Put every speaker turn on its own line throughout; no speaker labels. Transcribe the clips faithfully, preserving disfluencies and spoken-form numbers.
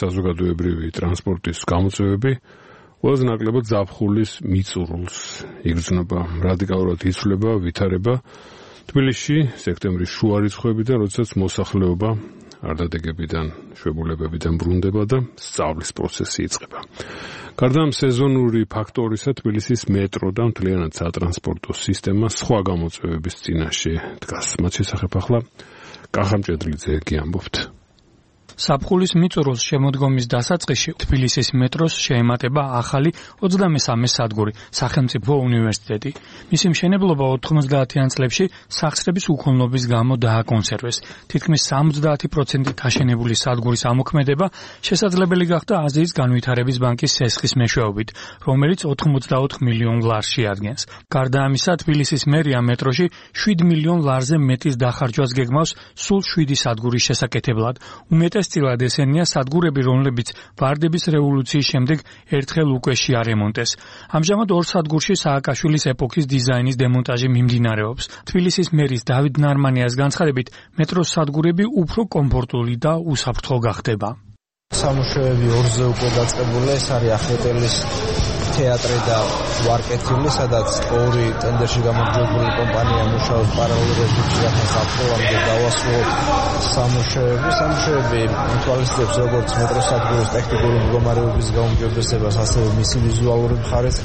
საზოგადოებრივი ტრანსპორტის გამოწვევები ყველაზე ნაკლებად ზაფხულის მიწურულს იგრძნობა. რადიკალურად იცვლება ვითარება თბილისში სექტემბრის შუა რიცხვებიდან, როდესაც მოსახლეობა არდადეგებიდან, შვებულებებიდან ბრუნდება და სწავლის პროცესი იწყება. გარდა ამ სეზონური ფაქტორისა, თბილისის მეტრო და მთლიანად სატრანსპორტო სისტემა სხვა გამოწვევების წინაშე დგას. მათ შესახებ ახლა კახა მჭედლიძე გიამბობთ.
საფხულის მიწურულს შემოდგომის დასაწყისში თბილისის მეტროს შეემატება ახალი ოცდამესამე სადგური სახელმწიფო უნივერსიტეტი. მისი მშენებლობა ოთხმოცდაათიან წლებში სახსრების უქონლობის გამო დააკონსერვეს. თითქმის სამოცდაათი პროცენტით აშენებული სადგურის ამოქმედება შესაძლებელი გახდა აზიის განვითარების ბანკის სესხის მეშვეობით, რომელიც ოთხმოცდაოთხ მილიონ ლარს შეადგენს. გარდა ამისა, თბილისის მერია მეტროში შვიდ მილიონ ლარზე მეტის დახარჯვას გეგმავს სულ შვიდი სადგურის შესაკეთებლად. უმეტეს წილად ესენია სადგურები, რომლებიც ვარდების რევოლუციის შემდეგ ერთხელ უკვე შეარემონტეს. ამჟამად ორ სადგურში სააკაშვილის ეპოქის დიზაინის დემონტაჟი მიმდინარეობს. თბილისის მერის დავით ნარმანიას განცხადებით, მეტროს სადგურები უფრო კომფორტული და უსაფრთხო გახდება.
სამუშაოები ორზე უკვე დაწყებულია, ეს არის ახეტელის თეატრი და ვარკეთილი, სადაც ორი ტენდერში გამარჯვებული კომპანია მუშაობს პარალელურ რეჟიმში, რათა საფრთხემდე გავასრულოთ სამუშაოები. სამუშაოები ითვალისწინებს როგორც მეტროს სადგურის ტექნიკური მდგომარეობის გაუმჯობესებას, ასევე მისი ვიზუალური მხარეს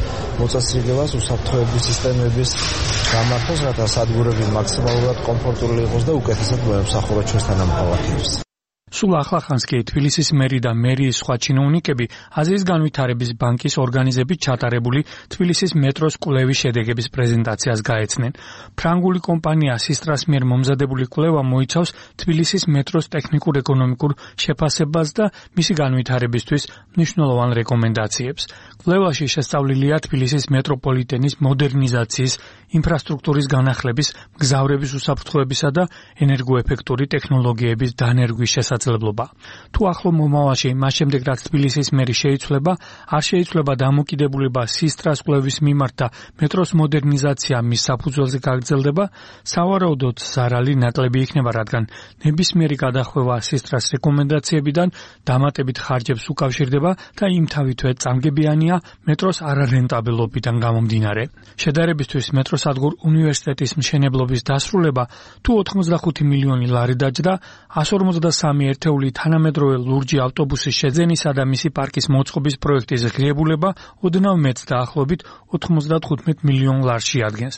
მოწესრიგებას, უსაფრთხოების სისტემების გამართვას, რათა სადგურები მაქსიმალურად კომფორტული იყოს და უკეთესად მოემსახუროთ ჩვენთან ამ ქალაქებს.
სულ ახლახანს კი თბილისის მერი და მერიის სხვა ჩინოვნიკები აზიის განვითარების ბანკის ორგანიზებით ჩატარებული თბილისის მეტროს კვლევის შედეგების პრეზენტაციას გაეცნენ. ფრანგული კომპანია სისტრას მიერ მომზადებული კვლევა მოიცავს თბილისის მეტროს ტექნიკურ-ეკონომიკურ შეფასებას და მისი განვითარებისთვის მნიშვნელოვან რეკომენდაციებს. კვლევაში შესწავლილია თბილისის მეტროპოლიტენის მოდერნიზაციის, ინფრასტრუქტურის განახლების, მგზავრების უსაფრთხოებისა და ენერგოეფექტური ტექნოლოგიების დანერგვის შესაძლებლობა. თუ ახლო მომავალში, მას შემდეგ რაც თბილისის მერი შეიცვლება, არ შეიცვლება დამოკიდებულება სისტრას კვლევის მიმართ და მეტროს მოდერნიზაცია მის საფუძველზე გაგრძელდება, სავარაუდოდ ზარალი ნაკლები იქნება, რადგან ნებისმიერი გადახვევა სისტრას რეკომენდაციებიდან დამატებით ხარჯებს უკავშირდება და იმთავითვე წამგებიანია მეტროს არარენტაბელობიდან გამომდინარე. შედარებისთვის მეტროსადგურ უნივერსიტეტის მშენებლობის დასრულება თუ ოთხმოცდახუთი მილიონი ლარი დაჯდა, εκατს ორმოცდასამი ერთეული თანამედროვე ლურჯი ავტობუსის შეძენისა და მისი პარკის მოწყობის პროექტის ღირებულება ოდნავ მეტს დაახლოებით ოთხმოცდათხუთმეტ მილიონ ლარს შეადგენს.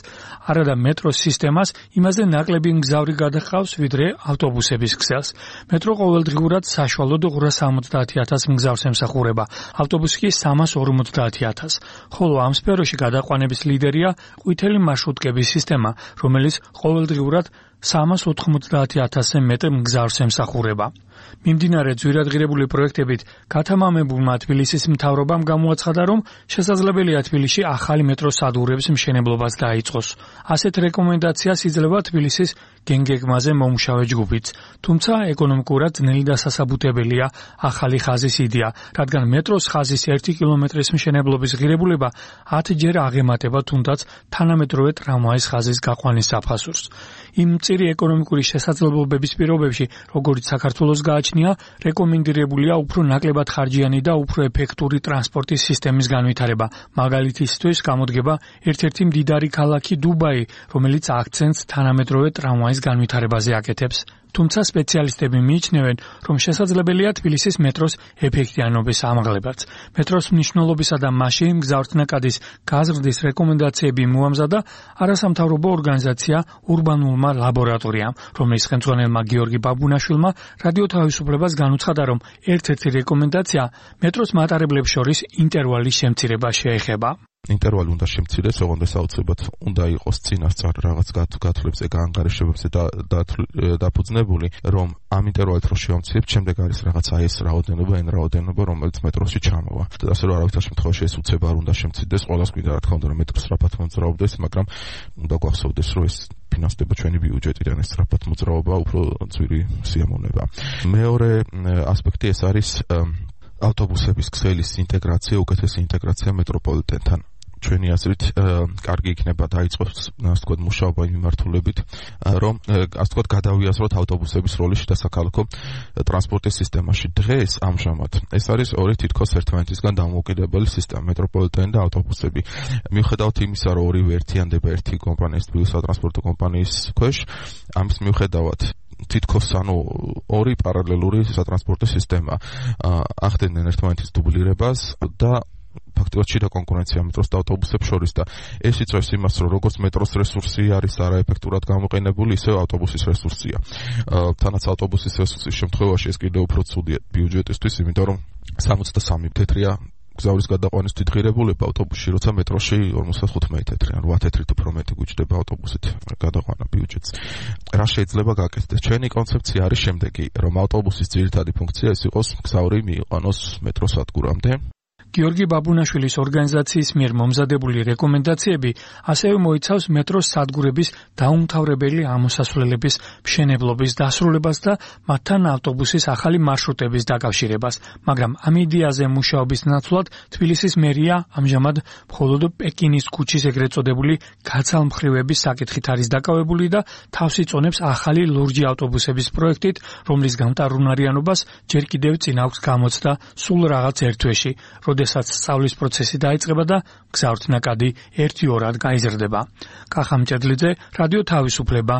არადა მეტროს სისტემას იმაზე ნაკლები მგზავრი გადაჰყავს, ვიდრე ავტობუსების ქსელს. მეტრო ყოველდღიურად საშუალოდ ორას ორმოცდაათი ათას მგზავრს ემსახურება, ავტობუსი კი სამას ორმოცდაათი ათას. ხოლო ამ სფეროში გადაყვანების ლიდერია ყვითელი მარშრუტკების სისტემა, რომელიც ყოველდღიურად სამას ოთხმოცდაათი ათასზე მეტ მგზავრს ემსახურება. მიმდინარე ძვირადღირებული პროექტებით გათამამებულმა თბილისის მთავრობამ გამოაცხადა, რომ შესაძლებელია თბილისში ახალი მეტროს სადგურების მშენებლობას დაიწყოს. ასეთ რეკომენდაციას იძლევა თბილისის გენგეგმაზე მომუშავე ჯგუფიც. თუმცა ეკონომიკურად ძნელი და სასაბუთებელია ახალი ხაზის იდეა, რადგან მეტროს ხაზის ერთი კილომეტრის მშენებლობის ღირებულება ათჯერ აღემატება თუნდაც თანამედროვე ტრამვაის ხაზის გაყვანის საფასურს. იმ მწირი ეკონომიკური შესაძლებლობების პირობებში, როგორც საქართველოს გააჩნია, რეკომენდირებულია უფრო ნაკლებად ხარჯიანი და უფრო ეფექტური ტრანსპორტის სისტემის განვითარება. მაგალითისთვის გამოდგება ერთ-ერთი მდიდარი ქალაქი დუბაი, რომელიც აქცენტს თანამედროვე ტრამვაის განვითარებაზე აკეთებს. თუმცა სპეციალისტები მიიჩნევენ, რომ შესაძლებელია თბილისის მეტროს ეფექტიანობის ამაღლებაც. მეტროს მნიშვნელობისა და მასში მგზავრთნაკადის გაზრდის რეკომენდაციები მოამზადა არასამთავრობო ორგანიზაცია ურბანულმა ლაბორატორიამ, რომლის ხელმძღვანელმა გიორგი ბაბუნაშვილმა რადიო თავისუფლებას განუცხადა, რომ ერთ-ერთი რეკომენდაცია მეტროს მატარებლებს შორის ინტერვალის შემცირება შეეხება.
ინტერვალი უნდა შემცირდეს, ოღონდ საოცრებად უნდა იყოს წინასწარ რაღაც გათვლებზე, გაანგარიშებებზე დაფუძნებული, რომ ამ ინტერვალით რო შევამცირებთ, შემდეგ არის რაღაც აი ეს რაოდენობა, εν რაოდენობა, რომელიც მეტროში ჩამოვა. ასე რომ არავითარ შემთხვევაში ეს უცებ არ უნდა შემცირდეს, ყველას გვინდა რა თქმა უნდა, რომ მეტრო სწრაფად მოძრაობდეს, მაგრამ უნდა გვახსოვდეს, რომ ეს ფინანსდება ჩვენი ბიუჯეტიდან, ეს სწრაფად მოძრაობა უფრო ძვირი სიამოვნება. მეორე ასპექტი ეს არის ავტობუსების ქსელის ინტეგრაცია, უკეთესი ინტეგრაცია მეტროპოლიტენთან. ჩვენი აზრით კარგი იქნება დაიწყოს ასე ვთქვათ მუშაობა იმ მიმართულებით რომ ასე ვთქვათ გადავიაზროთ ავტობუსების როლი შიდასაქალაქო ტრანსპორტის სისტემაში. დღეს ამჟამად ეს არის ორი თითქოს ერთმანეთისგან დამოუკიდებელი სისტემა მეტროპოლიტენი და ავტობუსები. მიუხედავად იმისა რომ ორივე ერთიანდება ერთი კომპანიის თბილისის სატრანსპორტო კომპანიის ქვეშ ამის მიუხედავად თითქოს ანუ ორი პარალელური სატრანსპორტო სისტემა ახდენენ ერთმანეთის დუბლირებას და ფაქტობრივად შიდა კონკურენცია მეტროს და ავტობუსებს შორის და ეს იწვევს იმას, რომ როგორც მეტროს რესურსი არის არაეფექტურად გამოყენებული, ისევ ავტობუსის რესურსია. თანაც ავტობუსის რესურსის შემთხვევაში ეს კიდევ უფრო ცუდია ბიუჯეტისთვის, იმიტომ რომ სამოცდასამი თეთრია გზავრის გადაყვანის თვითღირებულება ავტობუსში, როცა მეტროში ორმოცდახუთმეტი თეთრი, ან ოთხ თეთრით უფრო მეტი გვიჭდება ავტობუსით გადაყვანა ბიუჯეტს. რა შეიძლება გაკეთდეს? ჩვენი კონცეფცია არის შემდეგი, რომ ავტობუსის ძირითადი ფუნქცია ის იყოს გზავრი მიიყვანოს მეტროს სადგურამდე.
გიორგი ბაბუნაშვილის ორგანიზაციის მიერ მომზადებული რეკომენდაციები ასევე მოიცავს მეტროს სადგურების დაუმთავრებელი ამოსასვლელების მშენებლობის დასრულებას და მათთან ავტობუსის ახალი მარშრუტების დაკავშირებას, მაგრამ ამ იდეაზე მუშაობის ნაცვლად თბილისის მერია ამჟამად მხოლოდ პეკინის ქუჩის ეგრეთ წოდებული გაცალმხრივების საკითხით არის დაკავებული და თავს იწონებს ახალი ლურჯი ავტობუსების პროექტით, რომლის გამტარუნარიანობას ჯერ კიდევ წინ აქვს გამოცდა სულ რაღაც ერთ თვეში, როდესაც სწავლის პროცესი დაიწყება და გზავრთნაკადი ერთი ორად გაიზრდება. კახა მჭედლიძე, რადიო თავისუფლება,